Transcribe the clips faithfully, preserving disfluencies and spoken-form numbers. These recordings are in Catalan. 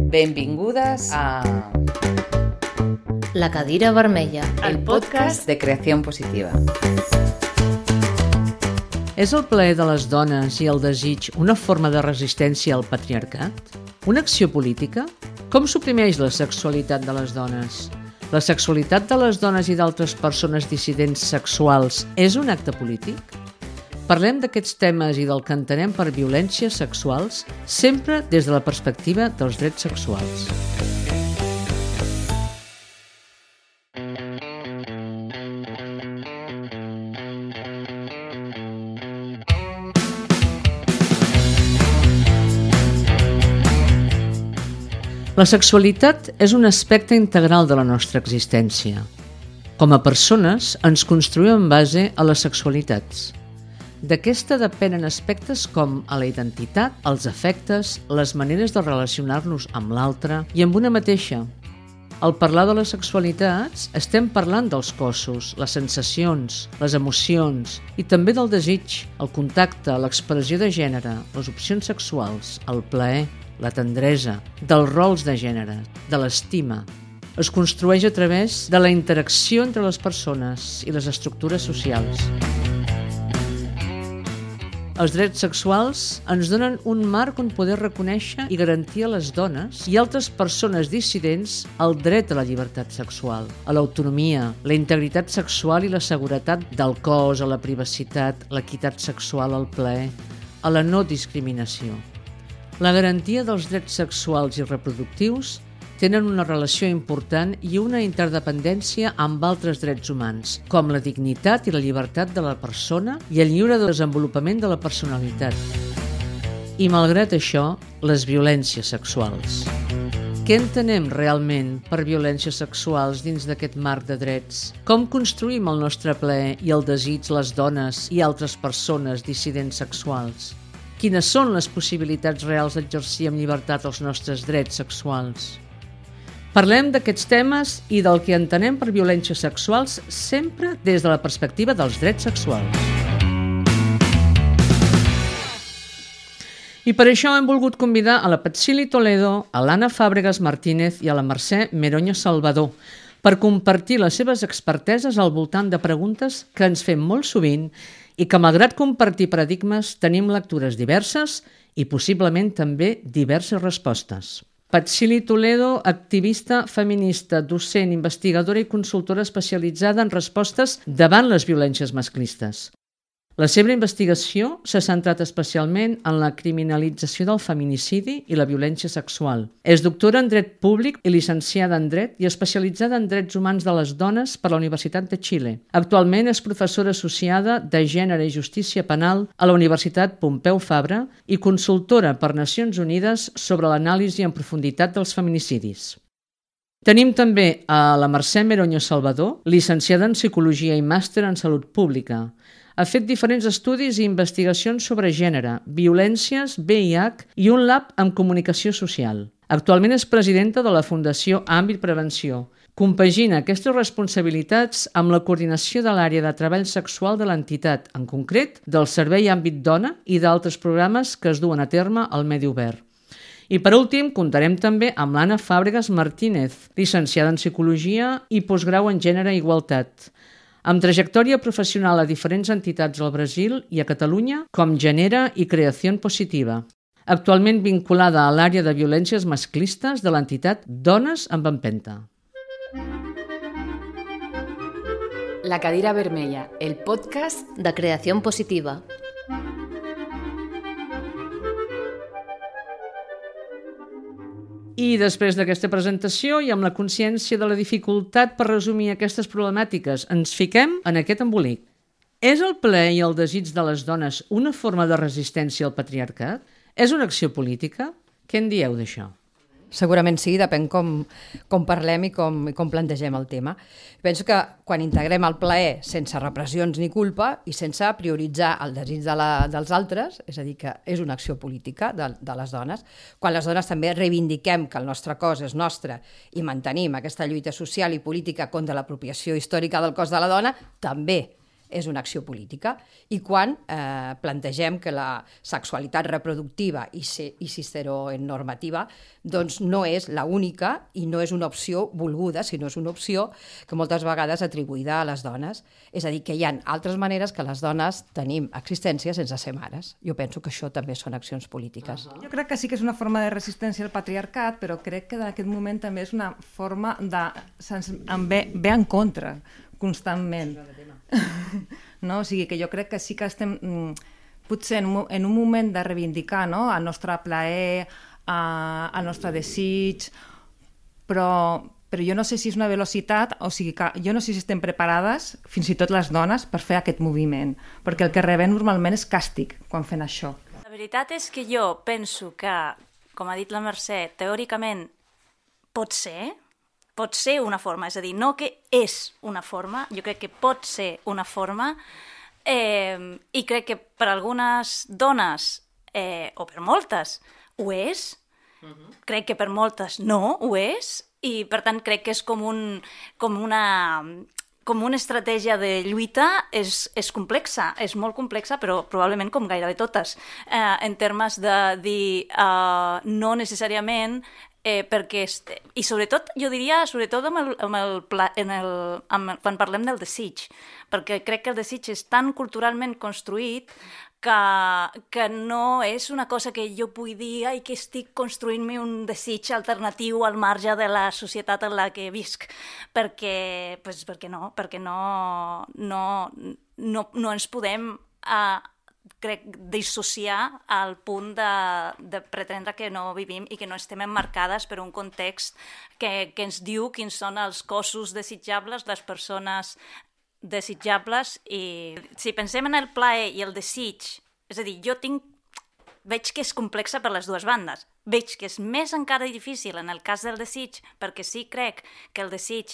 Benvingudes a La cadira vermella, el podcast de creació positiva. És el plaer de les dones i el desig una forma de resistència al patriarcat? Una acció política? Com suprimeix la sexualitat de les dones? La sexualitat de les dones i d'altres persones dissidents sexuals és un acte polític? Parlem d'aquests temes i del que entenem per violències sexuals, sempre des de la perspectiva dels drets sexuals. La sexualitat és un aspecte integral de la nostra existència. Com a persones, ens construïm en base a les sexualitats. D'aquesta depenen aspectes com a la identitat, els afectes, les maneres de relacionar-nos amb l'altre i amb una mateixa. Al parlar de les sexualitats, estem parlant dels cossos, les sensacions, les emocions i també del desig, el contacte, l'expressió de gènere, les opcions sexuals, el plaer, la tendresa, dels rols de gènere, de l'estima. Es construeix a través de la interacció entre les persones i les estructures socials. Els drets sexuals ens donen un marc on poder reconèixer i garantir a les dones i altres persones dissidents el dret a la llibertat sexual, a l'autonomia, la integritat sexual i la seguretat del cos, a la privacitat, l'equitat sexual, al plaer, a la no discriminació. La garantia dels drets sexuals i reproductius tenen una relació important i una interdependència amb altres drets humans, com la dignitat i la llibertat de la persona i el lliure desenvolupament de la personalitat. I malgrat això, les violències sexuals. Què entenem realment per violències sexuals dins d'aquest marc de drets? Com construïm el nostre plaer i el desig les dones i altres persones dissidents sexuals? Quines són les possibilitats reals d'exercir amb llibertat els nostres drets sexuals? Parlem d'aquests temes i del que entenem per violències sexuals sempre des de la perspectiva dels drets sexuals. I per això hem volgut convidar a la Patsili Toledo, a l'Anna Fàbregas Martínez i a la Mercè Meroño Salvador per compartir les seves experteses al voltant de preguntes que ens fem molt sovint i que, malgrat compartir paradigmes, tenim lectures diverses i possiblement també diverses respostes. Patsili Toledo, activista feminista, docent, investigadora i consultora especialitzada en respostes davant les violències masclistes. La seva investigació s'ha centrat especialment en la criminalització del feminicidi i la violència sexual. És doctora en dret públic i llicenciada en dret i especialitzada en drets humans de les dones per la Universitat de Xile. Actualment és professora associada de Gènere i Justícia Penal a la Universitat Pompeu Fabra i consultora per Nacions Unides sobre l'anàlisi en profunditat dels feminicidis. Tenim també a la Mercè Meroño Salvador, llicenciada en Psicologia i màster en Salut Pública. Ha fet diferents estudis i investigacions sobre gènere, violències, V I H i un lab en comunicació social. Actualment és presidenta de la Fundació Àmbit Prevenció. Compagina aquestes responsabilitats amb la coordinació de l'àrea de treball sexual de l'entitat, en concret del Servei Àmbit Dona i d'altres programes que es duen a terme al medi obert. I per últim, comptarem també amb l'Anna Fàbregas Martínez, llicenciada en Psicologia i postgrau en Gènere i Igualtat, amb trajectòria professional a diferents entitats al Brasil i a Catalunya com Genera i Creació Positiva. Actualment vinculada a l'àrea de violències masclistes de l'entitat Dones amb Empenta. La cadira vermella, el podcast de creació positiva. I després d'aquesta presentació i amb la consciència de la dificultat per resumir aquestes problemàtiques, ens fiquem en aquest embolic. És el plaer i el desig de les dones una forma de resistència al patriarcat? És una acció política? Què en dieu d'això? Segurament sí, depèn com, com parlem i com, i com plantegem el tema. Penso que quan integrem el plaer sense repressions ni culpa i sense prioritzar el desig de la, dels altres, és a dir, que és una acció política de, de les dones, quan les dones també reivindiquem que el nostre cos és nostre i mantenim aquesta lluita social i política contra l'apropiació històrica del cos de la dona, també és una acció política. I quan eh, plantegem que la sexualitat reproductiva i, si, i cisteronormativa doncs no és l'única i no és una opció volguda, sinó és una opció que moltes vegades atribuïda a les dones. És a dir, que hi ha altres maneres que les dones tenim existència sense ser mares. Jo penso que això també són accions polítiques. Jo crec que sí que és una forma de resistència al patriarcat, però crec que en aquest moment també és una forma de... En ve, ve en contra constantment. No? O sigui que jo crec que sí que estem potser en un, en un moment de reivindicar, no? El nostre plaer, eh, el nostre desig, però, però jo no sé si és una velocitat, o sigui que jo no sé si estem preparades, fins i tot les dones, per fer aquest moviment, perquè el que rebem normalment és càstig quan fem això. La veritat és que jo penso que, com ha dit la Mercè, teòricament pot ser, pot ser una forma, és a dir, no que és una forma, jo crec que pot ser una forma, eh, i crec que per algunes dones, eh, o per moltes, ho és, uh-huh. Crec que per moltes no ho és, i per tant crec que és com, un, com una... com una estratègia de lluita és, és complexa, és molt complexa, però probablement com gairebé totes, eh, en termes de dir eh, no necessàriament eh, perquè... Est... I sobretot, jo diria, sobretot amb el, amb el, pla... en el, amb... quan parlem del desig, perquè crec que el desig és tan culturalment construït que, que no és una cosa que jo pugui dir ai, que estic construint-me un desig alternatiu al marge de la societat en la que visc, perquè, pues, perquè no, perquè no, no, no, no ens podem uh, crec, dissociar al punt de, de pretendre que no vivim i que no estem emmarcades per un context que, que ens diu quins són els cossos desitjables, les persones desitjables, i si pensem en el plaer i el desig, és a dir, jo tinc, veig que és complexa per les dues bandes, veig que és més encara difícil en el cas del desig, perquè sí crec que el desig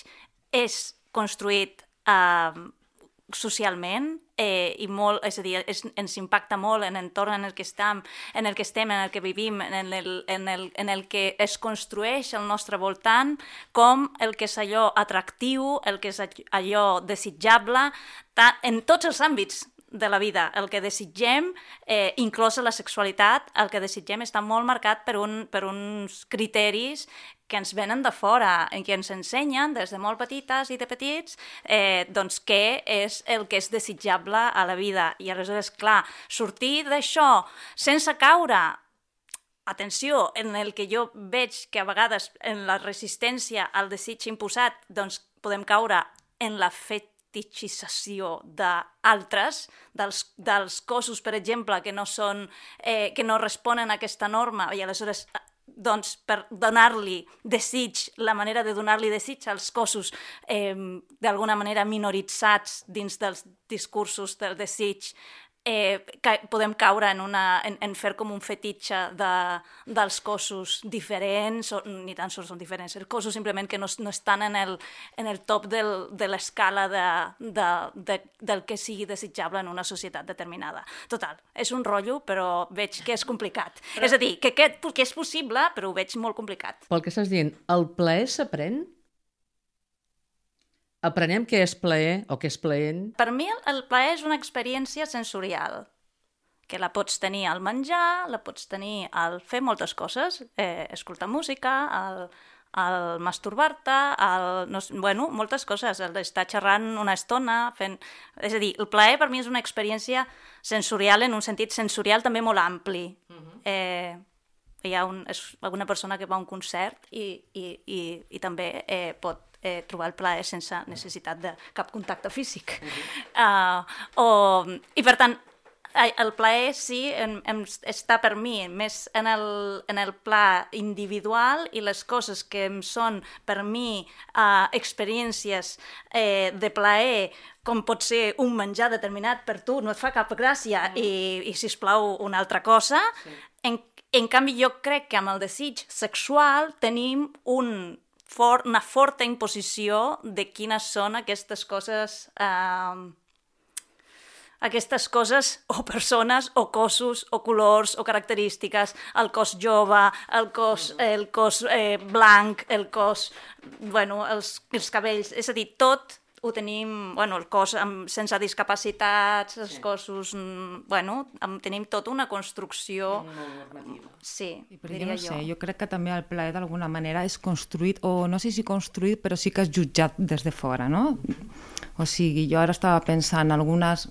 és construït eh, socialment, eh, i molt, és a dir, és, ens impacta molt en l'entorn en el que estem, en el que estem, en el que vivim, en el, en el, en el que es construeix al nostre voltant, com el que és allò atractiu, el que és allò desitjable, en tots els àmbits de la vida. El que desitgem, eh, inclosa la sexualitat, el que desitgem està molt marcat per, un, per uns criteris que ens venen de fora, en què ens ensenyen des de molt petites i de petits, eh, doncs què és el que és desitjable a la vida. I aleshores, clar, sortir d'això sense caure, atenció, en el que jo veig que a vegades en la resistència al desig imposat, doncs podem caure en la fetitxització d'altres, dels, dels cossos, per exemple, que no són, eh, que no responen a aquesta norma, i aleshores doncs, per donar-li desig, la manera de donar-li desig als cossos eh, d'alguna manera minoritzats dins dels discursos del desig, eh, ca podem caure en, una, en, en fer com un fetitxe de, dels cossos diferents, o, ni tan sols són diferents, els cossos simplement que no, no estan en el, en el top del, de l'escala de, de, de, del que sigui desitjable en una societat determinada. Total, és un rotllo, però veig que és complicat. Però... És a dir, que, que, que és possible, però ho veig molt complicat. Pel que estàs dient, el plaer s'aprèn? Aprenem què és plaer o què és plaent? Per mi el plaer és una experiència sensorial, que la pots tenir al menjar, la pots tenir al fer moltes coses, eh, escoltar música, al, al masturbar-te, al, no, bueno, moltes coses, el d'estar xerrant una estona, fent... És a dir, el plaer per mi és una experiència sensorial en un sentit sensorial també molt ampli. Uh-huh. eh, hi ha un, és una persona que va a un concert i, i, i, i també eh, pot Eh, trobar el plaer sense necessitat de cap contacte físic. Uh-huh. uh, o, I per tant, el plaer sí en, en, està per mi més en el, en el pla individual, i les coses que em són per mi uh, experiències eh, de plaer, com pot ser un menjar determinat per tu, no et fa cap gràcia, uh-huh. i, i sisplau una altra cosa. Sí. En, en canvi, jo crec que amb el desig sexual tenim un For, una forta imposició de quines són aquestes coses, eh, aquestes coses o persones o cossos o colors o característiques, el cos jove, el cos, el cos eh, blanc, el cos, bueno, els, els cabells, és a dir, tot ho tenim, bueno, el cos amb, sense discapacitats, els sí. cossos, bueno, amb, tenim tota una construcció... Molt normativa. Sí, diria jo. No jo. sé, jo crec que també el plaer d'alguna manera és construït, o no sé si construït, però sí que és jutjat des de fora, no? O sigui, jo ara estava pensant algunes...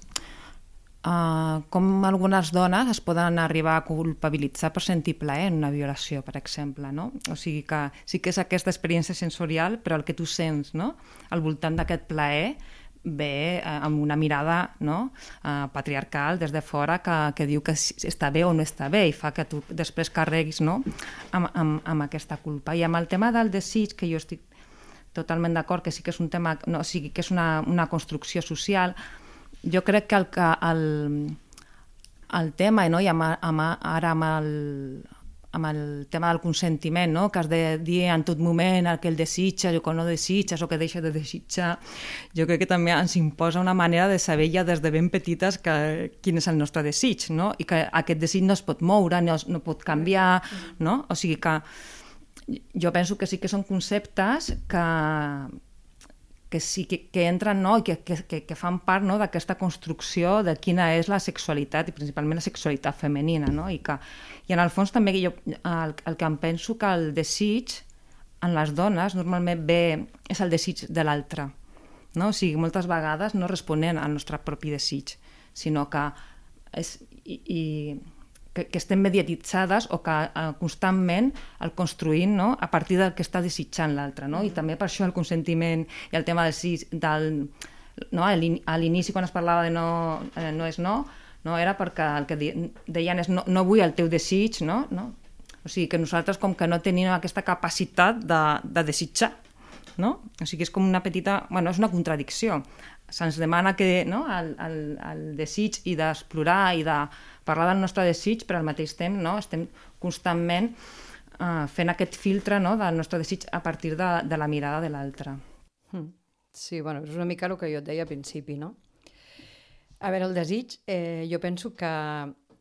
Uh, com algunes dones es poden arribar a culpabilitzar per sentir plaer en una violació, per exemple, no? O sigui que sí que és aquesta experiència sensorial, però el que tu sents, no?, al voltant d'aquest plaer ve uh, amb una mirada, no?, uh, patriarcal des de fora que, que diu que està bé o no està bé i fa que tu després carreguis, no?, amb, amb, amb aquesta culpa. I amb el tema del desig, que jo estic totalment d'acord que sí que és un tema, no, o sigui, que és una, una construcció social. Jo crec que el, el, el tema, no? I amb, amb, ara amb el, amb el tema del consentiment, no? Que has de dir en tot moment el que el desitges o que no desitges o que deixa de desitjar, jo crec que també ens imposa una manera de saber ja des de ben petites que, quin és el nostre desig, no? I que aquest desig no es pot moure, no, no pot canviar, no? O sigui que jo penso que sí que són conceptes que... que sí que, que entren, no?, i que, que, que fan part, no?, d'aquesta construcció de quina és la sexualitat, i principalment la sexualitat femenina, no? I, que, i en el fons també jo, el, el que em penso que el desig en les dones normalment ve, és el desig de l'altre, no? O sigui, moltes vegades no responen al nostre propi desig, sinó que és... I, i, que, que estem mediatitzades o que eh, constantment el construïm, no?, a partir del que està desitjant l'altre, no? I també per això el consentiment i el tema del sí, del, no? A l'inici quan es parlava de no, eh, no és no, no era perquè el que deien és no, no vull el teu desig, no? No? O sigui que nosaltres com que no tenim aquesta capacitat de, de desitjar, no? O sigui és com una petita, bueno, és una contradicció. Se'ns demana que, no?, el, el, el desig i d'explorar i de parlar del nostre desig, però al mateix temps, no?, estem constantment uh, fent aquest filtre, no?, del nostre desig a partir de, de la mirada de l'altre. Sí, bueno, és una mica el que jo et deia al principi, no? A veure, el desig, eh, jo penso que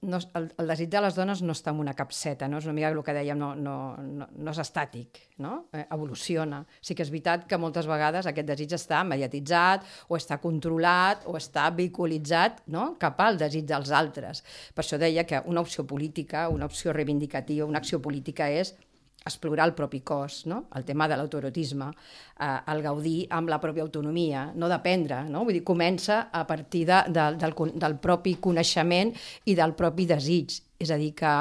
no, el, el desig de les dones no està en una capseta, no? És una mica el que dèiem, no, no, no, no és estàtic, no? Eh, evoluciona. Sí que és veritat que moltes vegades aquest desig està mediatitzat o està controlat o està vehiculitzat, no?, cap al desig dels altres. Per això deia que una opció política, una opció reivindicativa, una acció política és explorar el propi cos, no? El tema de l'autoerotisme, eh, el gaudir amb la pròpia autonomia, no dependre, no? Vull dir, comença a partir de, de, del, del propi coneixement i del propi desig. És a dir, que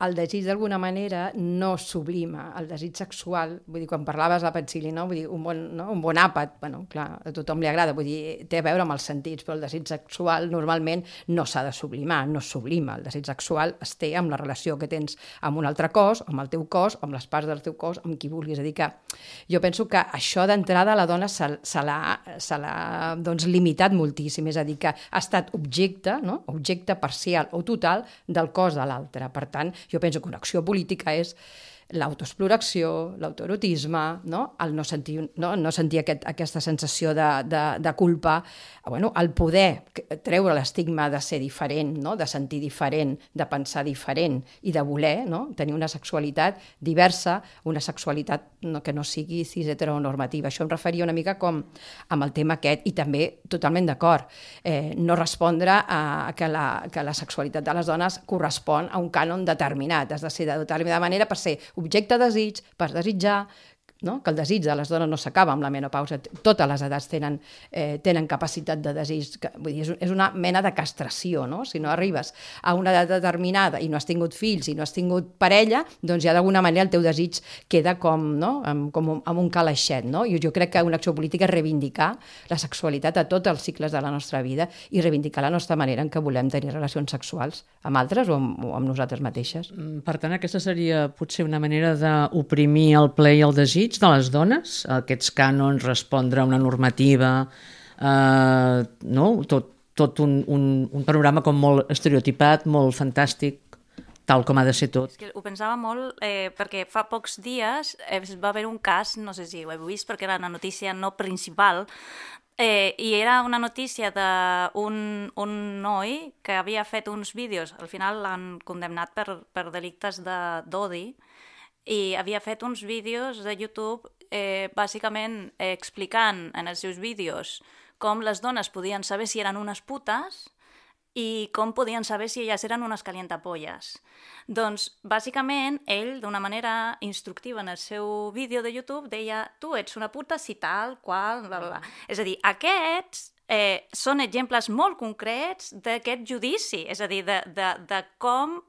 el desig d'alguna manera no sublima, el desig sexual, vull dir, quan parlaves de la Petzili, no? Vull dir, un bon, no? un bon àpat, bueno, clar, a tothom li agrada, vull dir, té a veure amb els sentits, però el desig sexual normalment no s'ha de sublimar, no sublima, el desig sexual es té amb la relació que tens amb un altre cos, amb el teu cos, amb les parts del teu cos, amb qui vulguis, és a dir que jo penso que això d'entrada la dona se, se l'ha doncs, limitat moltíssim, és a dir, que ha estat objecte, no? Objecte parcial o total del cos de l'altre, per tant, jo penso que una acció política és l'autoexploració, l'autoerotisme, no? El no sentir, no? no sentir aquest, aquesta sensació de, de, de culpa, bueno, el poder treure l'estigma de ser diferent, no? De sentir diferent, de pensar diferent i de voler, no? Tenir una sexualitat diversa, una sexualitat no, que no sigui cis heteronormativa. Això em referia una mica com amb el tema aquest, i també totalment d'acord, eh, no respondre a que la, que la sexualitat de les dones correspon a un cànon determinat, has de ser de determinada manera per ser objecte de desig, per desitjar, no? Que el desig de les dones no s'acaba amb la menopausa, totes les edats tenen, eh, tenen capacitat de desig, que, vull dir, és, és una mena de castració, no? Si no arribes a una edat determinada i no has tingut fills i no has tingut parella, doncs ja d'alguna manera el teu desig queda com, no? amb, com amb un calaixet, no? I jo crec que una acció política és reivindicar la sexualitat a tots els cicles de la nostra vida i reivindicar la nostra manera en què volem tenir relacions sexuals amb altres o amb, o amb nosaltres mateixes. Per tant, aquesta seria potser una manera d'oprimir el plaer i el desig de les dones, aquests cànons, respondre a una normativa, eh, no? tot, tot un, un, un panorama com molt estereotipat, molt fantàstic, tal com ha de ser tot. És que ho pensava molt eh, perquè fa pocs dies eh, va haver un cas, no sé si ho heu vist perquè era una notícia no principal, Eh, i era una notícia d'un un noi que havia fet uns vídeos, al final l'han condemnat per, per delictes d'odi, i havia fet uns vídeos de YouTube eh, bàsicament eh, explicant en els seus vídeos com les dones podien saber si eren unes putes i com podien saber si elles eren unes calientapolles. Doncs, bàsicament, ell, d'una manera instructiva en el seu vídeo de YouTube, deia, tu ets una puta si tal, qual, bla, bla. És a dir, aquests eh, són exemples molt concrets d'aquest judici, és a dir, de, de, de com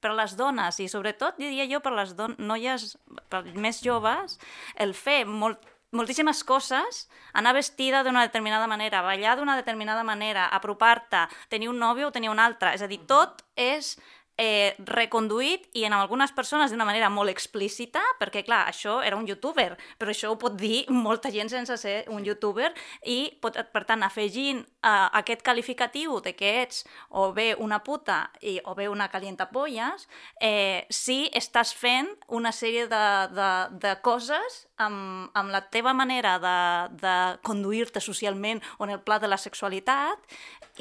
per les dones, i sobretot, diria jo, per les don- noies per més joves, el fer molt moltíssimes coses, anar vestida d'una determinada manera, ballar d'una determinada manera, apropar-te, tenir un nòvio o tenir un altre, és a dir, tot és eh, reconduït i en algunes persones d'una manera molt explícita, perquè clar, això era un youtuber, però això ho pot dir molta gent sense ser un youtuber i pot, per tant, afegint eh, aquest qualificatiu de que ets o bé una puta i, o bé una calientapolles, eh, si estàs fent una sèrie de, de, de coses amb, amb la teva manera de, de conduir-te socialment o en el pla de la sexualitat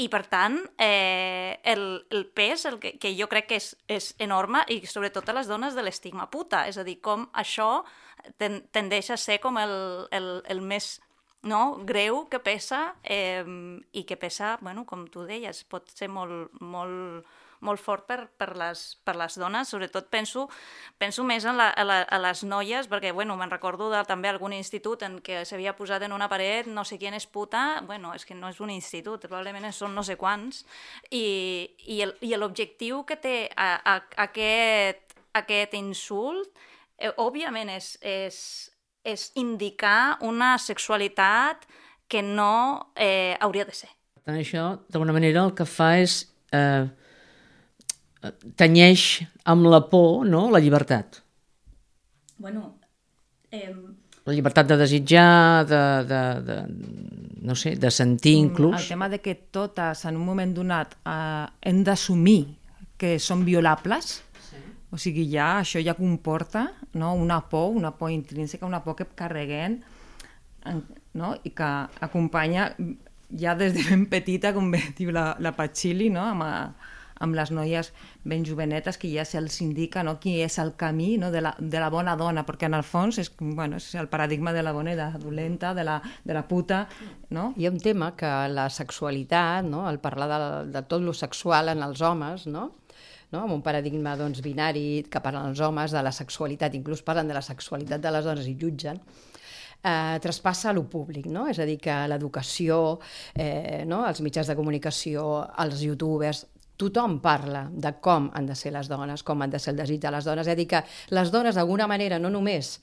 i, per tant, eh, el, el pes el que, que jo crec que és, és enorme i sobretot a les dones de l'estigma puta, és a dir, com això ten, tendeix a ser com el, el, el més no, greu que pesa eh, i que pesa, bueno, com tu deies, pot ser molt, molt, molt fort per, per, les, per les dones, sobretot penso, penso més en la, a, la, a les noies, perquè bueno, me'n recordo de també algun institut en què s'havia posat en una paret no sé qui és puta, bueno, és que no és un institut, probablement són no sé quants, i, i, el, i l'objectiu que té a, a, aquest, aquest insult, eh, òbviament és, és, és indicar una sexualitat que no eh, hauria de ser. Per tant, això, d'alguna manera, el que fa és eh, tenyeix amb la por, no?, la llibertat. Bueno, eh... La llibertat de desitjar, de, de, de, no sé, de sentir inclús. El tema de que totes en un moment donat eh, hem d'assumir que són violables, sí. O sigui, ja això ja comporta, no?, una por, una por intrínseca, una por que carreguem, no?, i que acompanya ja des de ben petita, com bé diu la, la Patxili, no?, amb, a, amb les noies ben jovenetes, que ja se'ls indica, no?, qui és el camí, no?, de, la, de la bona dona, perquè en el fons és, bueno, és el paradigma de la bona i de la dolenta, de la, de la puta, no? Hi ha un tema que la sexualitat, no?, el parlar de, de tot lo sexual en els homes, no?, no? Amb un paradigma doncs, binari que parlen els homes de la sexualitat, inclús parlen de la sexualitat de les dones i jutgen, eh, traspassa a lo públic, no? És a dir, que l'educació, eh, no? Els mitjans de comunicació, els youtubers, tothom parla de com han de ser les dones, com han de ser el desig de les dones. És a dir, que les dones, d'alguna manera, no només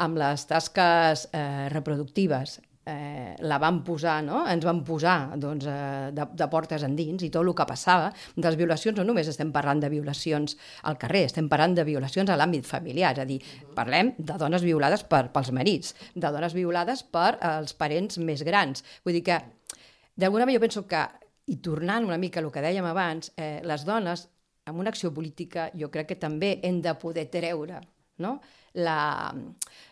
amb les tasques eh, reproductives, Eh, la van posar, no? Ens van posar doncs, eh, de, de portes endins, i tot el que passava de les violacions, no només estem parlant de violacions al carrer, estem parlant de violacions a l'àmbit familiar, és a dir, parlem de dones violades per, pels marits, de dones violades per els parents més grans. Vull dir que, d'alguna manera, jo penso que, i tornant una mica al que dèiem abans, eh, les dones, amb una acció política, jo crec que també hem de poder treure, no?, La,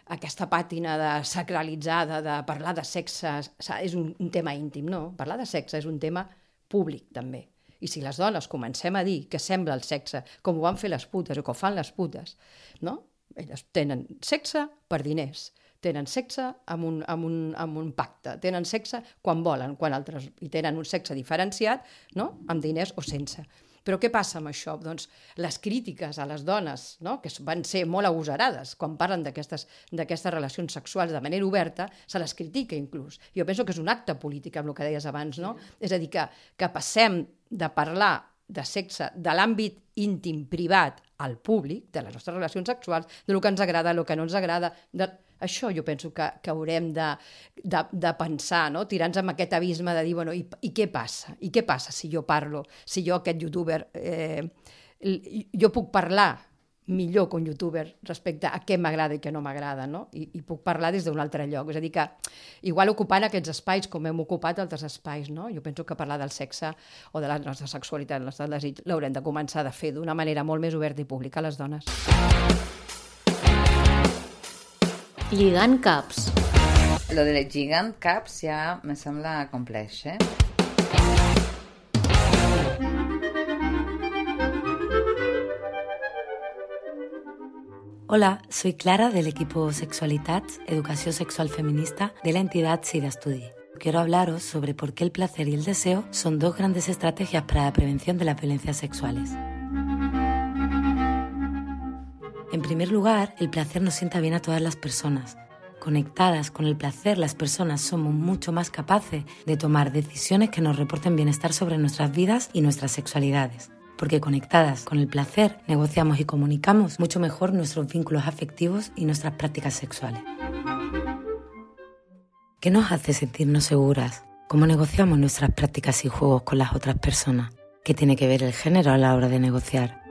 aquesta pàtina de sacralitzada, de parlar de sexe, és un, un tema íntim, no? Parlar de sexe és un tema públic, també. I si les dones comencem a dir que sembla el sexe, com ho van fer les putes o que ho fan les putes, no? Elles tenen sexe per diners, tenen sexe amb un, amb un, amb un pacte, tenen sexe quan volen, quan altres, i tenen un sexe diferenciat, no?, amb diners o sense. Però què passa amb això? Doncs les crítiques a les dones, no?, que van ser molt agosarades quan parlen d'aquestes d'aquestes relacions sexuals de manera oberta, se les critica inclús. Jo penso que és un acte polític, amb el que deies abans, no? És a dir, que, que passem de parlar de sexe de l'àmbit íntim, privat, al públic, de les nostres relacions sexuals, de lo que ens agrada, el que no ens agrada. De... Això jo penso que, que haurem de, de, de pensar, no? Tirar-nos amb aquest abisme de dir, bueno, i, i què passa? I què passa si jo parlo, si jo, aquest youtuber, eh, jo puc parlar millor que un youtuber respecte a què m'agrada i què no m'agrada, no? I, i puc parlar des d'un altre lloc. És a dir, que igual ocupant aquests espais com hem ocupat altres espais, no? Jo penso que parlar del sexe o de la nostra sexualitat, el nostre desig, l'haurem de començar a fer d'una manera molt més oberta i pública a les dones. Lligant caps. Lo de lligant caps ja me sembla complex, eh? Hola, soy Clara del equipo Sexualitats, Educación Sexual Feminista de la entidad SIDA Studi. Quiero hablaros sobre por qué el placer y el deseo son dos grandes estrategias para la prevención de las violencias sexuales. En primer lugar, el placer nos sienta bien a todas las personas. Conectadas con el placer, las personas somos mucho más capaces de tomar decisiones que nos reporten bienestar sobre nuestras vidas y nuestras sexualidades. Porque conectadas con el placer, negociamos y comunicamos mucho mejor nuestros vínculos afectivos y nuestras prácticas sexuales. ¿Qué nos hace sentirnos seguras? ¿Cómo negociamos nuestras prácticas y juegos con las otras personas? ¿Qué tiene que ver el género a la hora de negociar?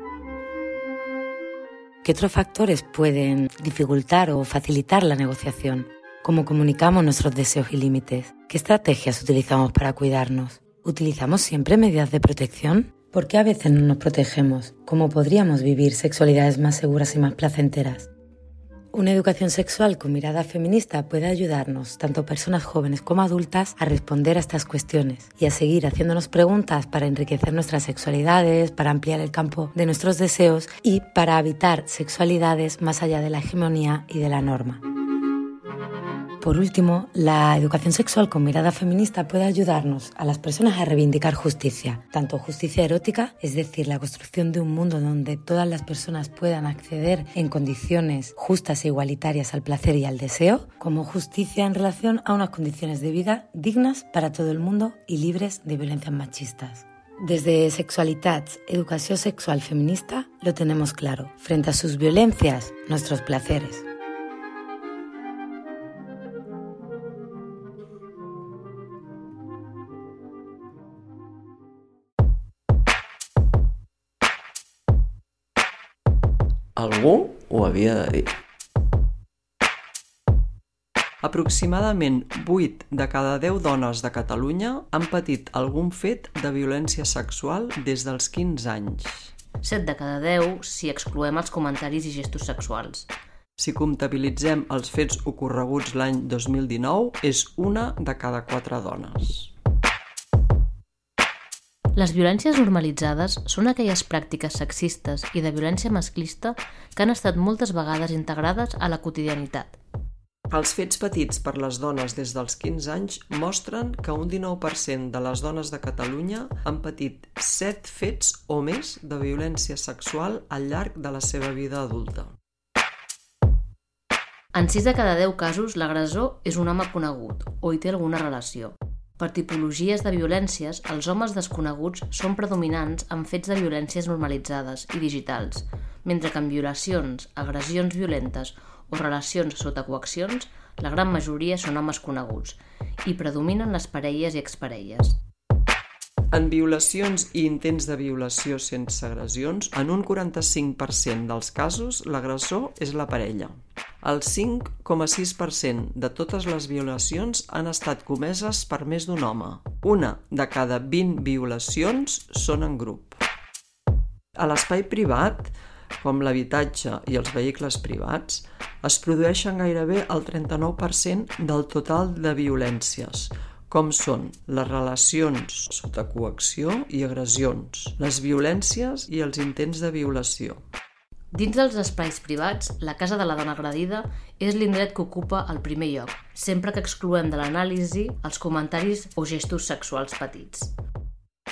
¿Qué otros factores pueden dificultar o facilitar la negociación? ¿Cómo comunicamos nuestros deseos y límites? ¿Qué estrategias utilizamos para cuidarnos? ¿Utilizamos siempre medidas de protección? ¿Por qué a veces no nos protegemos? ¿Cómo podríamos vivir sexualidades más seguras y más placenteras? Una educación sexual con mirada feminista puede ayudarnos, tanto personas jóvenes como adultas, a responder a estas cuestiones y a seguir haciéndonos preguntas para enriquecer nuestras sexualidades, para ampliar el campo de nuestros deseos y para habitar sexualidades más allá de la hegemonía y de la norma. Por último, la educación sexual con mirada feminista puede ayudarnos a las personas a reivindicar justicia, tanto justicia erótica, es decir, la construcción de un mundo donde todas las personas puedan acceder en condiciones justas e igualitarias al placer y al deseo, como justicia en relación a unas condiciones de vida dignas para todo el mundo y libres de violencias machistas. Desde Sexualitats, Educación Sexual Feminista, lo tenemos claro. Frente a sus violencias, nuestros placeres. Algú ho havia de dir. Aproximadament vuit de cada deu dones de Catalunya han patit algun fet de violència sexual des dels quinze anys. set de cada deu si excloem els comentaris i gestos sexuals. Si comptabilitzem els fets ocorreguts l'any dos mil dinou, és una de cada quatre dones. Les violències normalitzades són aquelles pràctiques sexistes i de violència masclista que han estat moltes vegades integrades a la quotidianitat. Els fets patits per les dones des dels quinze anys mostren que un dinou per cent de les dones de Catalunya han patit set fets o més de violència sexual al llarg de la seva vida adulta. En sis de cada deu casos, l'agressor és un home conegut o hi té alguna relació. Per tipologies de violències, els homes desconeguts són predominants en fets de violències normalitzades i digitals, mentre que en violacions, agressions violentes o relacions sota coaccions, la gran majoria són homes coneguts i predominen les parelles i exparelles. En violacions i intents de violació sense agressions, en un quaranta-cinc per cent dels casos, l'agressor és la parella. El cinc coma sis per cent de totes les violacions han estat comeses per més d'un home. Una de cada vint violacions són en grup. A l'espai privat, com l'habitatge i els vehicles privats, es produeixen gairebé el trenta-nou per cent del total de violències, com són les relacions sota coacció i agressions, les violències i els intents de violació. Dins dels espais privats, la casa de la dona agredida és l'indret que ocupa el primer lloc, sempre que excloem de l'anàlisi els comentaris o gestos sexuals petits.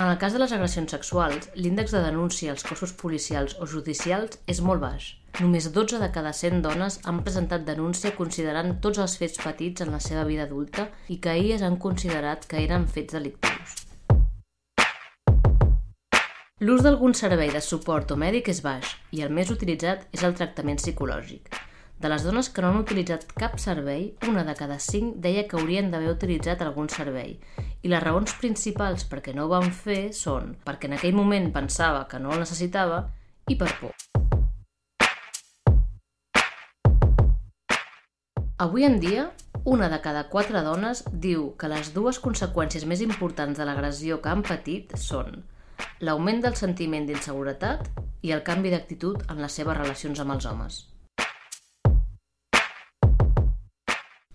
En el cas de les agressions sexuals, l'índex de denúncia als cossos policials o judicials és molt baix. Només dotze de cada cent dones han presentat denúncia considerant tots els fets petits en la seva vida adulta i que elles han considerat que eren fets delictius. L'ús d'algun servei de suport o mèdic és baix i el més utilitzat és el tractament psicològic. De les dones que no han utilitzat cap servei, una de cada cinc deia que haurien d'haver utilitzat algun servei i les raons principals per què no ho van fer són perquè en aquell moment pensava que no el necessitava i per por. Avui en dia, una de cada quatre dones diu que les dues conseqüències més importants de l'agressió que han patit són l'augment del sentiment d'inseguretat i el canvi d'actitud en les seves relacions amb els homes.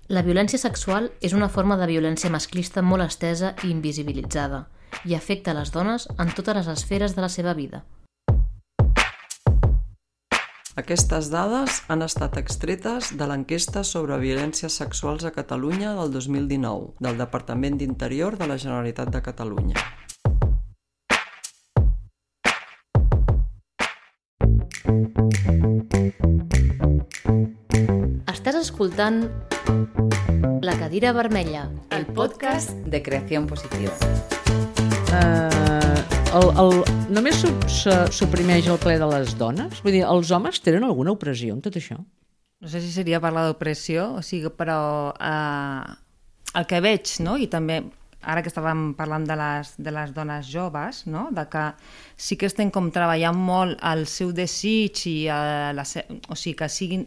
La violència sexual és una forma de violència masclista molt estesa i invisibilitzada i afecta les dones en totes les esferes de la seva vida. Aquestes dades han estat extretes de l'enquesta sobre violències sexuals a Catalunya del dos mil dinou, del Departament d'Interior de la Generalitat de Catalunya. Estàs escoltant La Cadira Vermella, El podcast de creació positiva. Uh, el, el, només su, su, suprimeix el ple de les dones? Vull dir, els homes tenen alguna opressió en tot això? No sé si seria parlar d'opressió, o sigui, però eh, el que veig, no? I també ara que estàvem parlant de les, de les dones joves, no? De que sí que estem com treballant molt el seu desig i eh, la, o sigui, que siguin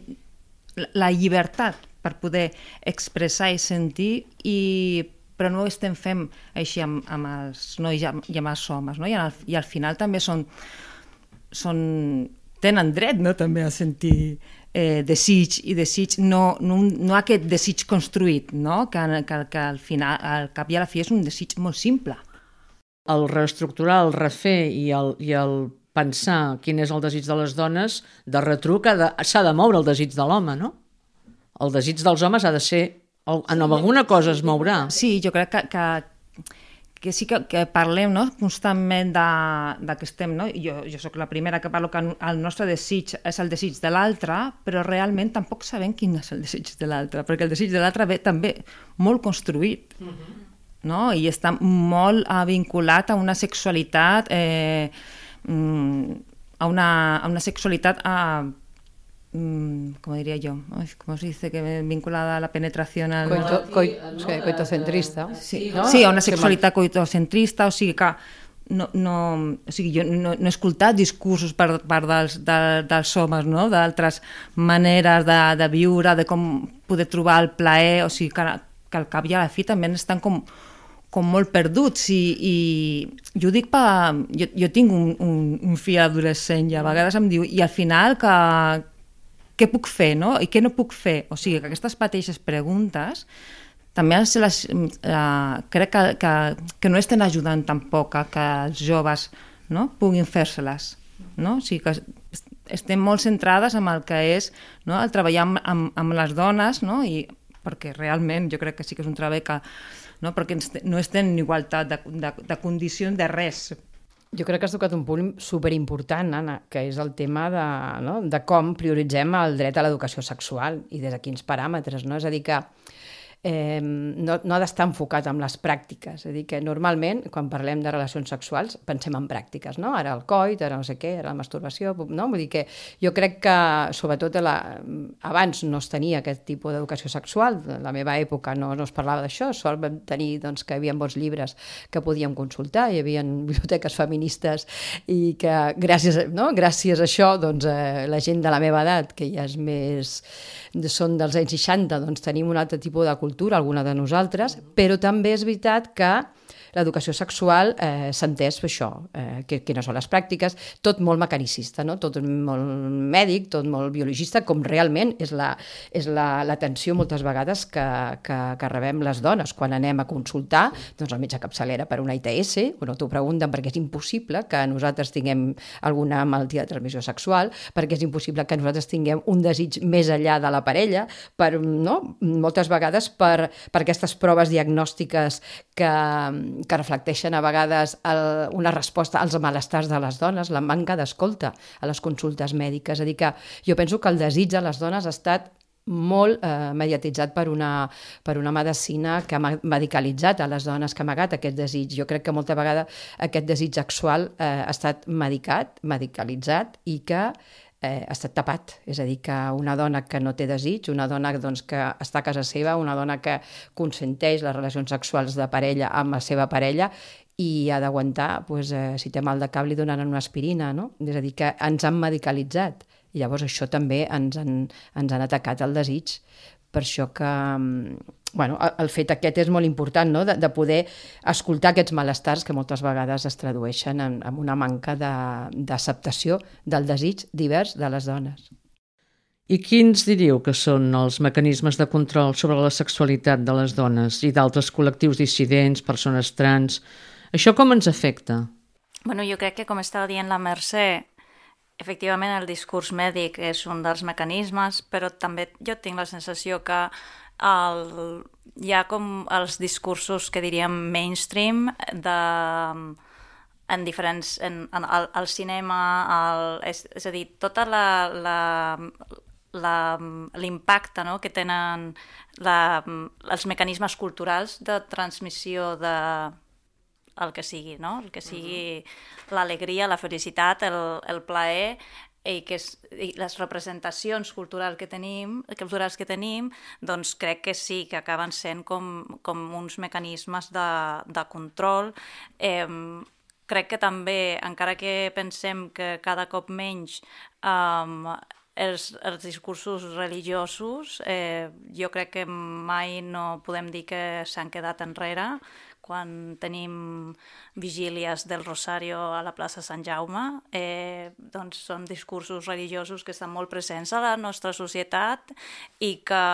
la, la llibertat per poder expressar i sentir, i, però no ho estem fent així amb, amb els nois i amb, i amb els homes, no? I, al, i al final també són, són, tenen dret, no? També a sentir eh, desig, i desig no, no, no aquest desig construït, no? Que, que, que al final, al cap i a la fi és un desig molt simple. El reestructurar, el refer i el, i el pensar quin és el desig de les dones, de retruc s'ha de moure el desig de l'home, no? El desig dels homes ha de ser... En alguna cosa es mourà. Sí, jo crec que, que, que sí que, que parlem, no? Constantment de, de que estem... No? Jo, jo sóc la primera que parlo que el nostre desig és el desig de l'altre, però realment tampoc sabem quin és el desig de l'altre, perquè el desig de l'altre ve també molt construït, uh-huh. No? I està molt uh, vinculat a una sexualitat... Eh, a, una, a una sexualitat... Uh, ¿cómo diría yo? ¿Cómo se dice? Que vinculada a la penetración al... Coito, coito, coitocentrista. Sí, no? Sí, a una sexualitat coitocentrista, o sigui que no, no, o sigui, jo no, no he escoltat discursos per part dels, de, dels homes, no? D'altres maneres de, de viure, de com poder trobar el plaer, o sigui que, que al cap i a la fi també estan com, com molt perduts, i, i jo dic per... Jo, jo tinc un, un, un fill adolescent i a vegades em diu, i al final que què puc fer, no? I què no puc fer? O sigui, que aquestes mateixes preguntes també se les, eh, crec que, que, que no estan ajudant tampoc a que els joves, no? Puguin fer-se-les, no? O sigui, que estem molt centrades en el que és, no? El treballar amb, amb, amb les dones, no? I perquè realment jo crec que sí que és un treball que, no? Perquè no estem en igualtat de, de, de condicions de res. Jo crec que has tocat un punt superimportant, Anna, que és el tema de, no? De com prioritzem el dret a l'educació sexual i des de quins paràmetres, no? És a dir que eh, no, no ha d'estar enfocat en les pràctiques. És a dir, que normalment, quan parlem de relacions sexuals, pensem en pràctiques, no? Ara el coit, ara no sé què, ara la masturbació, no? Vull dir que jo crec que, sobretot, la, abans no es tenia aquest tipus d'educació sexual. En la meva època no, no es parlava d'això, sol vam tenir doncs, que hi havia bons llibres que podíem consultar, hi havia biblioteques feministes i que gràcies, no? gràcies a això doncs, eh, la gent de la meva edat, que ja és més, són dels anys seixanta, doncs tenim un altre tipus de cultura, alguna de nosaltres, però també és veritat que l'educació sexual eh, s'ha entès per això, eh, que, que no són les pràctiques, tot molt mecanicista, no? Tot molt mèdic, tot molt biologista, com realment és la, és la, l'atenció moltes vegades que, que, que rebem les dones quan anem a consultar doncs, el metge capçalera per una I T S, o no t'ho pregunten perquè és impossible que nosaltres tinguem alguna malaltia de transmissió sexual, perquè és impossible que nosaltres tinguem un desig més enllà de la parella, per, no? Moltes vegades per, per aquestes proves diagnòstiques que que reflecteixen a vegades el, una resposta als malestars de les dones, la manca d'escolta a les consultes mèdiques. És a dir, que jo penso que el desig de les dones ha estat molt eh, mediatitzat per una, per una medicina que ha medicalitzat a les dones, que ha amagat aquest desig. Jo crec que molta vegada aquest desig sexual eh, ha estat medicat, medicalitzat i que Eh, ha estat tapat, és a dir, que una dona que no té desig, una dona doncs, que està a casa seva, una dona que consenteix les relacions sexuals de parella amb la seva parella i ha d'aguantar, doncs, eh, si té mal de cap li donaran una aspirina, no? És a dir, que ens han medicalitzat i llavors això també ens han, ens han atacat el desig. Per això que bueno, el fet aquest és molt important, no? de, de poder escoltar aquests malestars que moltes vegades es tradueixen en, en una manca de, d'acceptació del desig divers de les dones. I quins diríeu que són els mecanismes de control sobre la sexualitat de les dones i d'altres col·lectius dissidents, persones trans? Això com ens afecta? Bueno, jo crec que, com estava dient la Mercè, efectivament el discurs mèdic és un dels mecanismes, però també jo tinc la sensació que el, hi ha com els discursos que diríem mainstream de, en diferents, en, en, al, al cinema, el, és, és a dir, tota la, la, la, l'impacte, no?, que tenen la, els mecanismes culturals de transmissió de el que sigui, no? El que sigui uh-huh. l'alegria, la felicitat, el, el plaer, i que és, i les representacions culturals que tenim, culturals que tenim, doncs crec que sí, que acaben sent com, com uns mecanismes de, de control. Eh, crec que també, encara que pensem que cada cop menys eh, els, els discursos religiosos, eh, jo crec que mai no podem dir que s'han quedat enrere, quan tenim vigílies del Rosario a la plaça Sant Jaume, eh, doncs són discursos religiosos que estan molt presents a la nostra societat i que,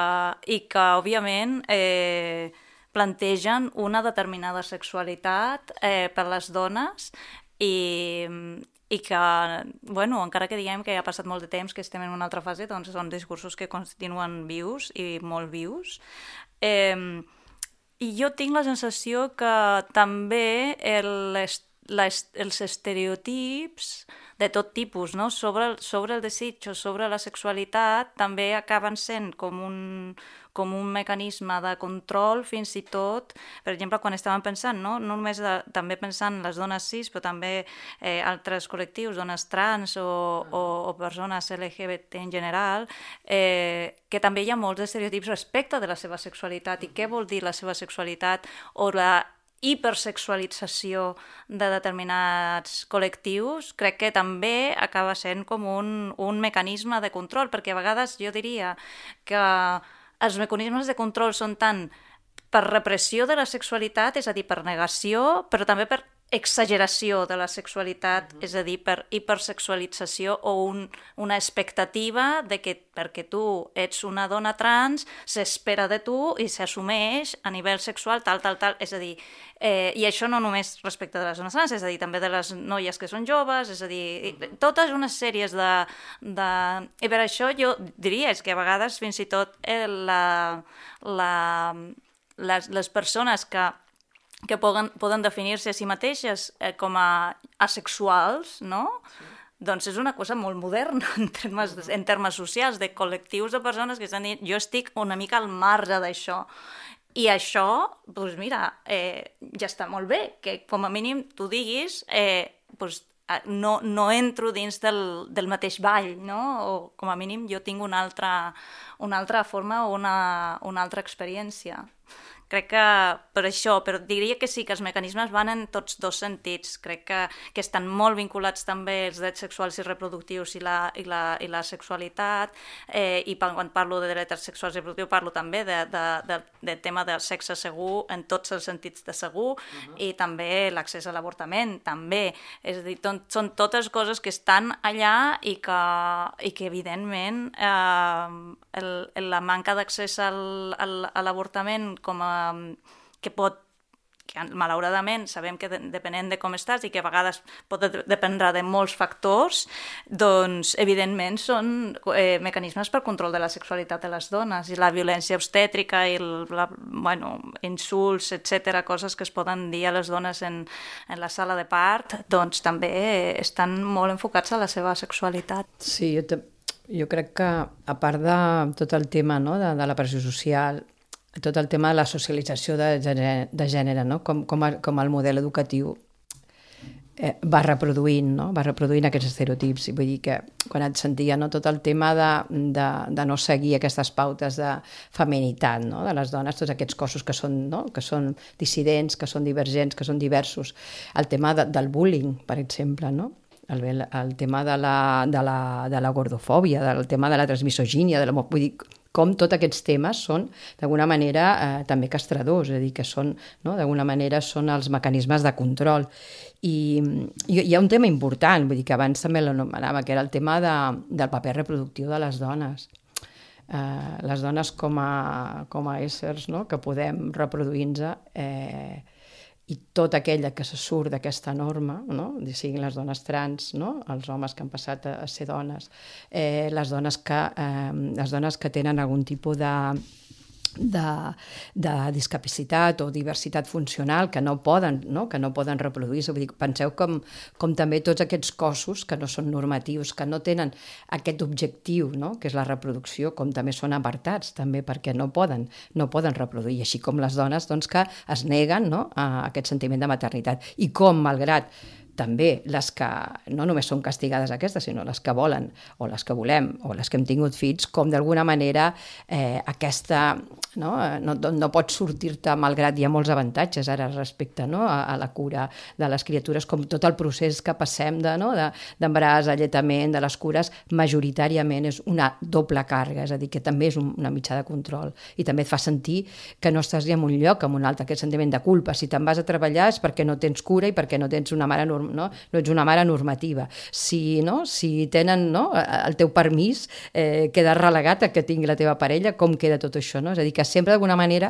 i que òbviament, eh, plantegen una determinada sexualitat eh, per les dones i, i que, bueno, encara que diguem que ja ha passat molt de temps, que estem en una altra fase, doncs són discursos que continuen vius i molt vius. Eh, I jo tinc la sensació que també el, les, els estereotips de tot tipus, no?, sobre, sobre el desig o sobre la sexualitat també acaben sent com un, com un mecanisme de control, fins i tot, per exemple, quan estàvem pensant, no, no només de, també pensant en les dones cis, però també eh, altres col·lectius, dones trans o, o, o persones L G B T en general, eh, que també hi ha molts estereotips respecte de la seva sexualitat i què vol dir la seva sexualitat o la hipersexualització de determinats col·lectius, crec que també acaba sent com un, un mecanisme de control, perquè a vegades jo diria que els mecanismes de control són tant per repressió de la sexualitat, és a dir, per negació, però també per exageració de la sexualitat, uh-huh. és a dir, per hipersexualització o un, una expectativa de que perquè tu ets una dona trans s'espera de tu i s'assumeix a nivell sexual tal, tal, tal, és a dir, eh, i això no només respecte de les dones trans, és a dir, també de les noies que són joves, és a dir, uh-huh. totes unes sèries de, de... I per això jo diria és que a vegades fins i tot eh, la, la, les, les persones que que poden, poden definir-se a si mateixes eh, com a asexuals, no? Sí. Doncs és una cosa molt moderna en termes, uh-huh. en termes socials, de col·lectius de persones que estan dient jo estic una mica al marge d'això. I això, doncs mira, eh, ja està molt bé, que com a mínim tu diguis eh, doncs, no, no entro dins del, del mateix ball, no? O com a mínim jo tinc una altra, una altra forma o una, una altra experiència. Crec que per això, però diria que sí, que els mecanismes van en tots dos sentits. Crec que, que estan molt vinculats també els drets sexuals i reproductius i la, i la, i la sexualitat, eh, i quan parlo de drets sexuals i reproductius parlo també de, de, de, de tema del sexe segur en tots els sentits de segur, uh-huh. i també l'accés a l'avortament, també. És a dir, ton, són totes coses que estan allà i que, i que evidentment, eh, el, la manca d'accés al, al, a l'avortament com a que pot, que malauradament sabem que de, depenent de com estàs i que a vegades pot dependre de molts factors, doncs evidentment són eh, mecanismes per control de la sexualitat de les dones i la violència obstètrica i el, la, bueno, insults, etcètera, coses que es poden dir a les dones en, en la sala de part, doncs també estan molt enfocats a la seva sexualitat. Sí, jo, te, jo crec que a part de tot el tema, no, de, de la pressió social, tot el tema de la socialització de gènere, de gènere, no? com, com, a, com el model educatiu eh, va reproduint, no? va reproduint aquests estereotips. Vull dir que quan et sentia, no? tot el tema de, de, de no seguir aquestes pautes de feminitat, no? de les dones, tots aquests cossos que són, no? que són dissidents, que són divergents, que són diversos. El tema de, del bullying, per exemple, no? el, el tema de la, de, la, de la gordofòbia, del tema de la transmisogínia, de la, vull dir, com tots aquests temes són, d'alguna manera, eh, també castradors, és a dir, que són, no, d'alguna manera, són els mecanismes de control. I, i hi ha un tema important, vull dir que abans també l'anomenava, que era el tema de, del paper reproductiu de les dones. Eh, les dones com a, com a éssers, no?, que podem reproduir-nos, eh, i tot aquella que se surt d'aquesta norma, no? Siguin les dones trans, no? Els homes que han passat a, a ser dones, eh, les, dones que, eh, les dones que tenen algun tipus de... De, de discapacitat o diversitat funcional que no poden, no? que no poden reproduir-se. Vull dir, penseu com, com també tots aquests cossos que no són normatius, que no tenen aquest objectiu, no? que és la reproducció, com també són apartats, també perquè no poden, no poden reproduir, així com les dones doncs, que es neguen, no? a aquest sentiment de maternitat. I com, malgrat també les que no només són castigades aquestes, sinó les que volen o les que volem o les que hem tingut fills, com d'alguna manera eh, aquesta... No, no, no pots sortir-te, malgrat hi ha molts avantatges ara respecte no, a, a la cura de les criatures, com tot el procés que passem de, no, de, d'embaràs, alletament, de les cures, majoritàriament és una doble càrrega, és a dir, que també és un, una mitjà de control i també et fa sentir que no estàs ni en un lloc, en un altre, aquest sentiment de culpa. Si te'n vas a treballar és perquè no tens cura i perquè no tens una mare, norm, no, no ets una mare normativa. Si, no, si tenen no, el teu permís, eh, queda relegat a que tingui la teva parella, com queda tot això, no? És a dir, que sempre d'alguna manera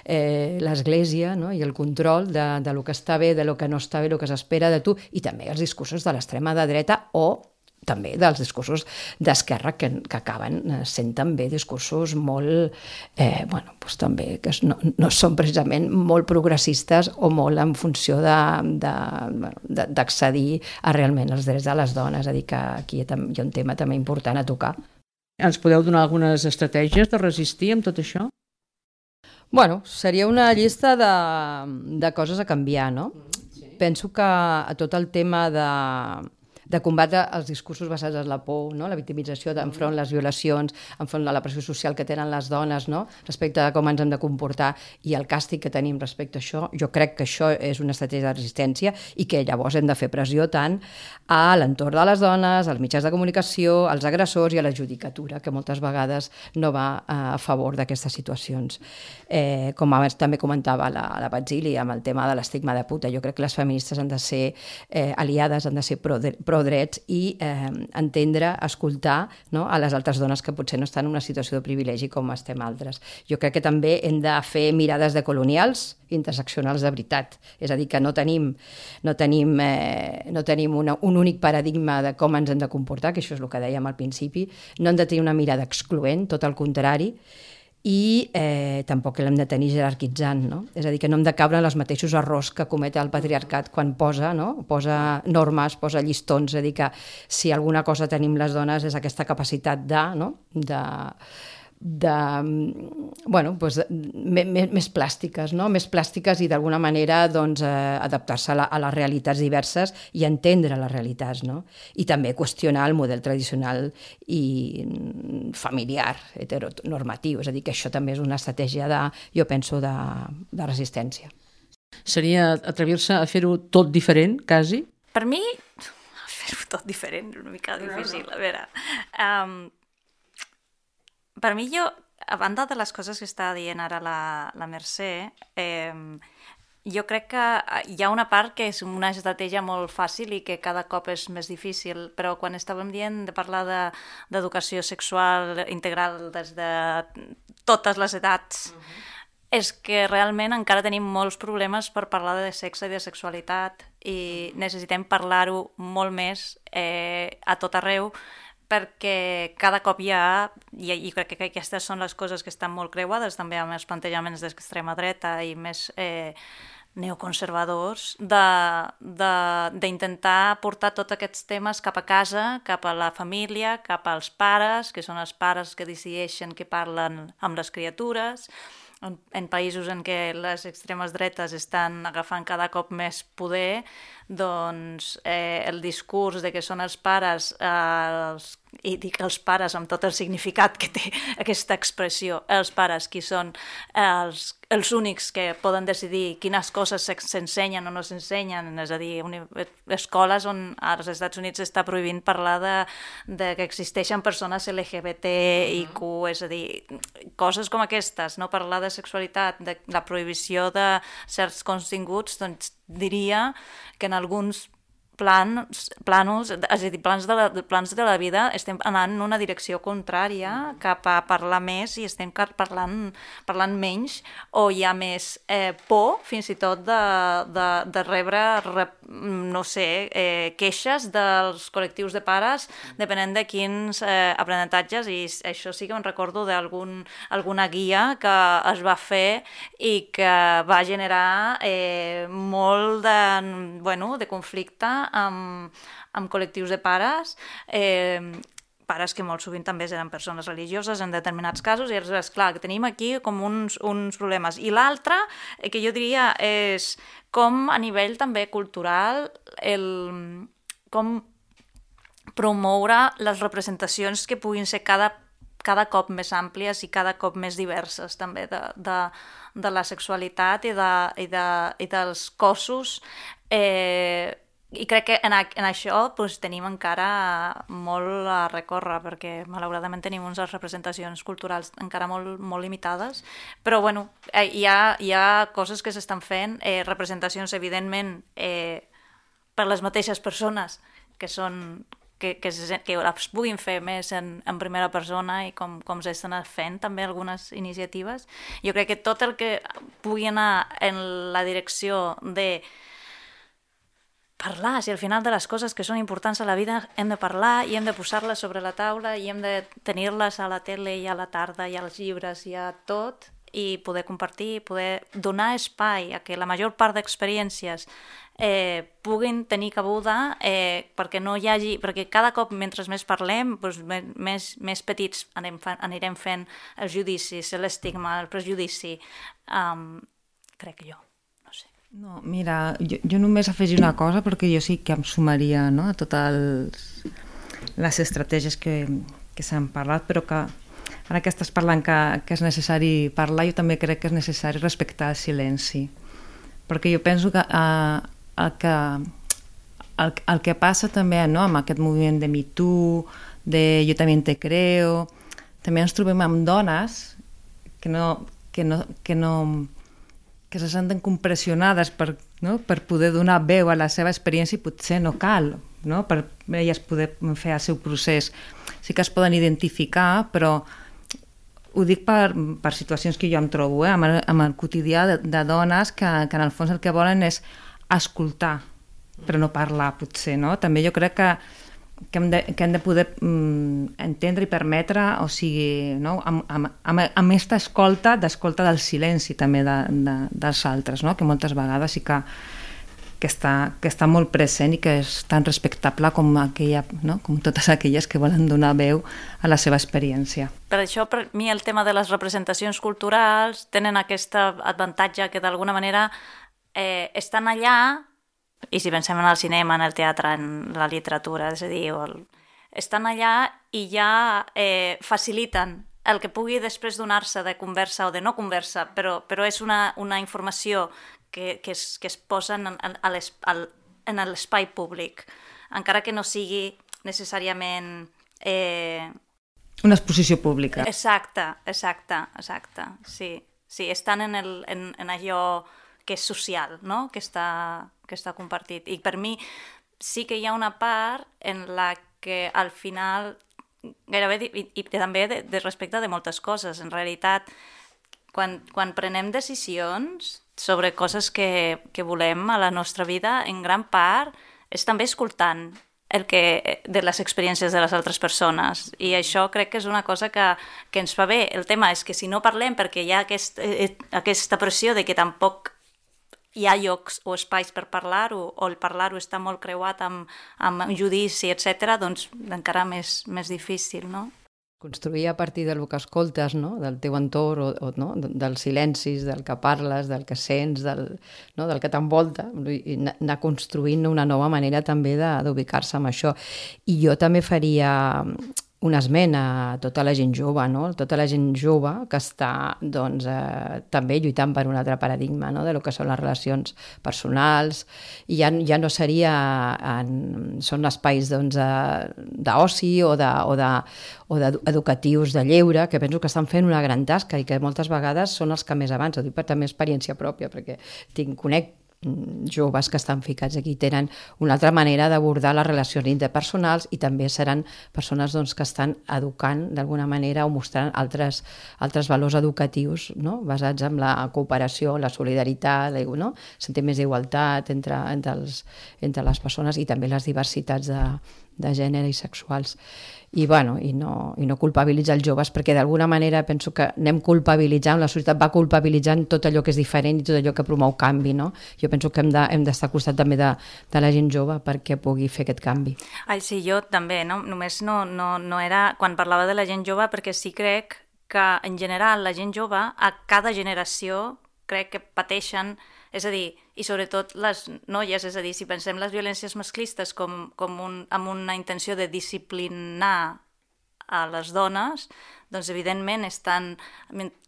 eh, l'Església no? i el control de, de lo que està bé, de lo que no està bé, el que s'espera de tu, i també els discursos de l'extrema de dreta o també dels discursos d'esquerra que, que acaben sent també discursos molt, eh, bueno, doncs també que no, no són precisament molt progressistes o molt en funció de, de, de, d'accedir a realment els drets de les dones, és a dir, que aquí hi ha un tema també important a tocar. Ens podeu donar algunes estratègies de resistir amb tot això? Bueno, seria una llista de, de coses a canviar, no? Sí. Penso que a tot el tema de, de combatre els discursos basats en la por, no? La victimització enfront les violacions, enfront de la pressió social que tenen les dones, no? Respecte a com ens hem de comportar i el càstig que tenim respecte a això, jo crec que això és una estratègia de resistència i que llavors hem de fer pressió tant a l'entorn de les dones, als mitjans de comunicació, als agressors i a la judicatura, que moltes vegades no va a favor d'aquestes situacions. Eh, com abans també comentava la, la Batzili amb el tema de l'estigma de puta, jo crec que les feministes han de ser eh, aliades, han de ser pro, pro drets i eh, entendre, escoltar no, a les altres dones que potser no estan en una situació de privilegi com estem altres. Jo crec que també hem de fer mirades de colonials interseccionals de veritat. És a dir, que no tenim, no tenim, eh, no tenim una, un únic paradigma de com ens hem de comportar, que això és el que dèiem al principi. No hem de tenir una mirada excloent, tot el contrari, i eh, tampoc l'hem de tenir jerarquitzant, no? És a dir, que no hem de caure en els mateixos errors que comet el patriarcat quan posa, no? Posa normes, posa llistons, és a dir, que si alguna cosa tenim les dones és aquesta capacitat de, no? de, de bueno, doncs, més, més plàstiques, no? Més plàstiques i d'alguna manera doncs, eh, adaptar-se a, la, a les realitats diverses i entendre les realitats, no? I també qüestionar el model tradicional i familiar, heteronormatiu, és a dir, que això també és una estratègia de, jo penso, de, de resistència. Seria atrevir-se a fer-ho tot diferent, quasi? Per mi, fer-ho tot diferent és una mica difícil, a veure... Um, Per mi, jo, a banda de les coses que està dient ara la, la Mercè, eh, jo crec que hi ha una part que és una estratègia molt fàcil i que cada cop és més difícil, però quan estàvem dient de parlar de, d'educació sexual integral des de totes les edats, uh-huh. és que realment encara tenim molts problemes per parlar de sexe i de sexualitat i necessitem parlar-ho molt més eh, a tot arreu, perquè cada cop hi ha, i crec que aquestes són les coses que estan molt creuades també amb els plantejaments d'extrema dreta i més eh, neoconservadors, d'intentar portar tots aquests temes cap a casa, cap a la família, cap als pares, que són els pares que decideixen que parlen amb les criatures, en, en països en què les extremes dretes estan agafant cada cop més poder, doncs eh, el discurs de que són els pares, eh, els, i dic els pares amb tot el significat que té aquesta expressió, els pares qui són els, els únics que poden decidir quines coses s'ensenyen o no s'ensenyen, és a dir, escoles on als Estats Units s'està prohibint parlar de, de que existeixen persones L G B T I Q, és a dir, coses com aquestes, no parlar de sexualitat, de la prohibició de certs continguts, doncs diria que en alguns plans, planos, és a dir, plans de, la, plans de la vida, estem anant en una direcció contrària cap a parlar més i estem parlant, parlant menys, o hi ha més eh, por, fins i tot, de, de, de rebre, rep, no sé, eh, queixes dels col·lectius de pares, depenent de quins eh, aprenentatges, i això sí que em recordo d'algun alguna guia que es va fer i que va generar eh, molt de, bueno, de conflicte amb, amb col·lectius de pares, eh, pares que molt sovint també eren persones religioses en determinats casos, i és clar que tenim aquí com uns, uns problemes. I l'altre, eh, que jo diria, és com a nivell també cultural, el, com promoure les representacions que puguin ser cada cada cop més àmplies i cada cop més diverses també de, de, de la sexualitat i, de, i, de, i dels cossos. Eh, I crec que en, a, en això doncs, tenim encara molt a recórrer, perquè malauradament tenim unes representacions culturals encara molt, molt limitades, però bueno, eh, hi, ha, hi ha coses que s'estan fent, eh, representacions evidentment eh, per les mateixes persones que són que, que, que les puguin fer més en, en primera persona i com, com s'estan fent també algunes iniciatives. Jo crec que tot el que pugui anar en la direcció de parlar, si al final de les coses que són importants a la vida hem de parlar i hem de posar-les sobre la taula i hem de tenir-les a la tele i a la tarda i als llibres i a tot, i poder compartir, poder donar espai a que la major part d'experiències eh, puguin tenir cabuda, eh, perquè no hi hagi, perquè cada cop mentre més parlem, doncs, més, més petits anem, anirem fent els judicis, l'estigma, el prejudici, um, crec jo. No, mira, jo, jo només afegir una cosa, perquè jo sí que em sumaria, no, a totes les estratègies que, que s'han parlat, però que ara que estàs parlant que, que és necessari parlar, jo també crec que és necessari respectar el silenci, perquè jo penso que eh, el que el, el que passa també, no, amb aquest moviment de Me Too, de Jo també te creo, també ens trobem amb dones que no, que no, que no que se senten compressionades per, no, per poder donar veu a la seva experiència i potser no cal, no, per elles poder fer el seu procés. Sí que es poden identificar, però ho dic per, per situacions que jo em trobo, eh, amb, el, amb el quotidià de, de dones que, que en el fons el que volen és escoltar, però no parlar, potser, no? També jo crec que, que, hem, de, que hem de poder mm, entendre i permetre, o sigui, no? amb, amb, amb, amb aquesta escolta, d'escolta del silenci també de, de, dels altres, no? Que moltes vegades sí que, que, està, que està molt present i que és tan respectable com, aquella, no? Com totes aquelles que volen donar veu a la seva experiència. Per això, per mi, el tema de les representacions culturals tenen aquest avantatge que d'alguna manera eh, estan allà, i si pensem en el cinema, en el teatre, en la literatura, és a dir, el... estan allà i ja eh, faciliten el que pugui després donar-se de conversa o de no conversa, però, però és una, una informació que, que, es, que es posa en, en, en l'espai públic, encara que no sigui necessàriament... Eh... Una exposició pública. Exacte, exacte, exacte, sí. Sí, estan en, el, en, en allò que és social, no? Que està, que està compartit. I per mi sí que hi ha una part en la que al final, gairebé, i, i també de, de respecte de moltes coses, en realitat, quan, quan prenem decisions sobre coses que, que volem a la nostra vida, en gran part és també escoltant el que, de les experiències de les altres persones, i això crec que és una cosa que, que ens fa bé. El tema és que si no parlem perquè hi ha aquest, eh, aquesta pressió de que tampoc hi ha llocs o espais per parlar-ho, o el parlar-ho està molt creuat amb, amb judici, etcètera, doncs encara més, més difícil, no? Construir a partir del que escoltes, no? Del teu entorn, o, o, no? dels silencis, del que parles, del que sents, del, no? del que t'envolta, i anar construint una nova manera també d'ubicar-se amb això. I jo també faria un esment a tota la gent jove, no? Tota la gent jove que està doncs, eh, també lluitant per un altre paradigma, no? De lo que són les relacions personals, i ja, ja no seria en, són espais doncs, d'oci o de, o de, o d'educatius de lleure, que penso que estan fent una gran tasca i que moltes vegades són els que més abans, ho dic per també experiència pròpia, perquè tinc, conec joves que estan ficats aquí tenen una altra manera d'abordar les relacions interpersonals i també seran persones doncs, que estan educant d'alguna manera o mostrant altres, altres valors educatius, no? Basats en la cooperació, la solidaritat, no? Sentir més d'igualtat entre, entre, els, entre les persones i també les diversitats de, de gènere i sexuals. I, bueno, i, no, i no culpabilitzar els joves, perquè d'alguna manera penso que anem culpabilitzant, la societat va culpabilitzant tot allò que és diferent i tot allò que promou canvi, no? Jo penso que hem de, hem d'estar al costat també de, de la gent jove perquè pugui fer aquest canvi. Ai, sí, jo també, no? Només no, no, no era quan parlava de la gent jove, perquè sí crec que en general la gent jove a cada generació crec que pateixen, és a dir, i sobretot les noies, és a dir, si pensem les violències masclistes com, com un, amb una intenció de disciplinar a les dones, doncs evidentment estan,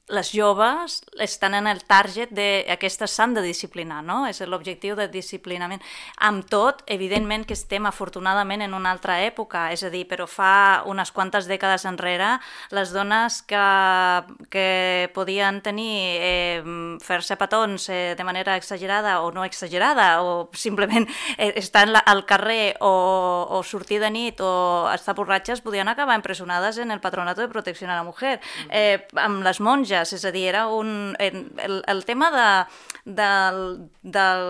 les joves estan en el target d'aquestes s'han de disciplinar, no? És l'objectiu de disciplinament. Amb tot, evidentment que estem afortunadament en una altra època, és a dir, però fa unes quantes dècades enrere, les dones que, que podien tenir, eh, fer-se petons eh, de manera exagerada o no exagerada, o simplement eh, estar al carrer o, o sortir de nit o estar borratxes, podien acabar empresonades en el Patronato de Protecció a la Mujer. Eh, amb les monges, és a dir, era un, el, el tema de, del, del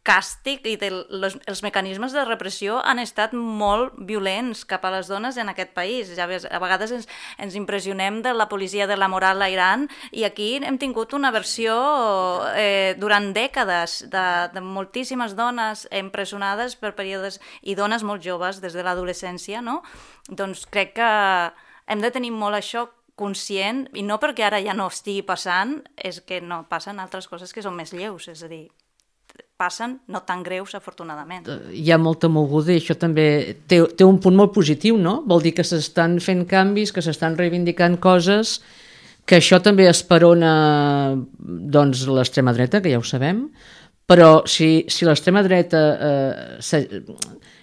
càstig i dels mecanismes de repressió han estat molt violents cap a les dones en aquest país. Ja ves, a vegades ens, ens impressionem de la policia de la moral a Iran i aquí hem tingut una versió eh, durant dècades de, de moltíssimes dones empresonades per períodes i dones molt joves des de l'adolescència, no? Doncs crec que hem de tenir molt això conscient, i no perquè ara ja no estigui passant, és que no passen altres coses que són més lleus, és a dir, passen no tan greus, afortunadament. Hi ha molta moguda i això també té, té un punt molt positiu, no? Vol dir que s'estan fent canvis, que s'estan reivindicant coses, que això també esperona doncs, l'extrema dreta, que ja ho sabem, però si, si l'extrema dreta eh,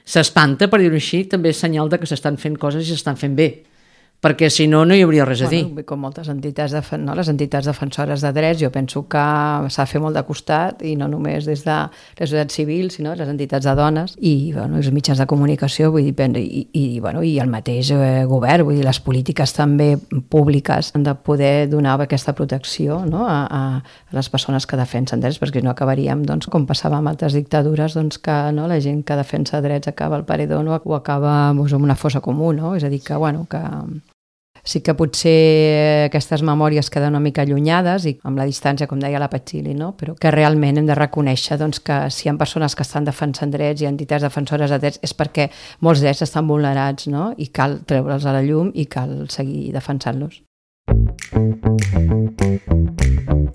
s'espanta, per dir-ho així, també és senyal de que s'estan fent coses i s'estan fent bé, perquè si no, no hi hauria res a dir. Bueno, com moltes entitats, de, no? Les entitats defensores de drets, jo penso que s'ha de fer molt de costat, i no només des de la societat civil, sinó les entitats de dones, i bueno, els mitjans de comunicació, vull dir, i, i, bueno, i el mateix eh, govern, vull dir, les polítiques també públiques han de poder donar aquesta protecció, no? a, a, a les persones que defensen drets, perquè no acabaríem, doncs, com passava amb altres dictadures, doncs, que no? La gent que defensa drets acaba al paredó, no? O acaba doncs, en una fossa comú, no? És a dir, que, bueno, que sí que potser aquestes memòries queden una mica allunyades i amb la distància, com deia la Patxili, no? Però que realment hem de reconèixer doncs, que si hi ha persones que estan defensant drets i entitats defensores de drets és perquè molts drets estan vulnerats, no? I cal treure'ls a la llum i cal seguir defensant-los.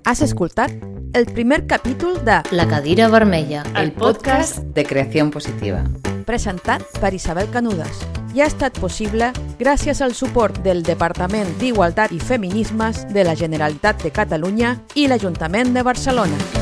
Has escoltat el primer capítol de La cadira vermella, el podcast de Creació Positiva, presentat per Isabel Canudas. I ha estat possible gràcies al suport del Departament d'Igualtat i Feminismes de la Generalitat de Catalunya i l'Ajuntament de Barcelona.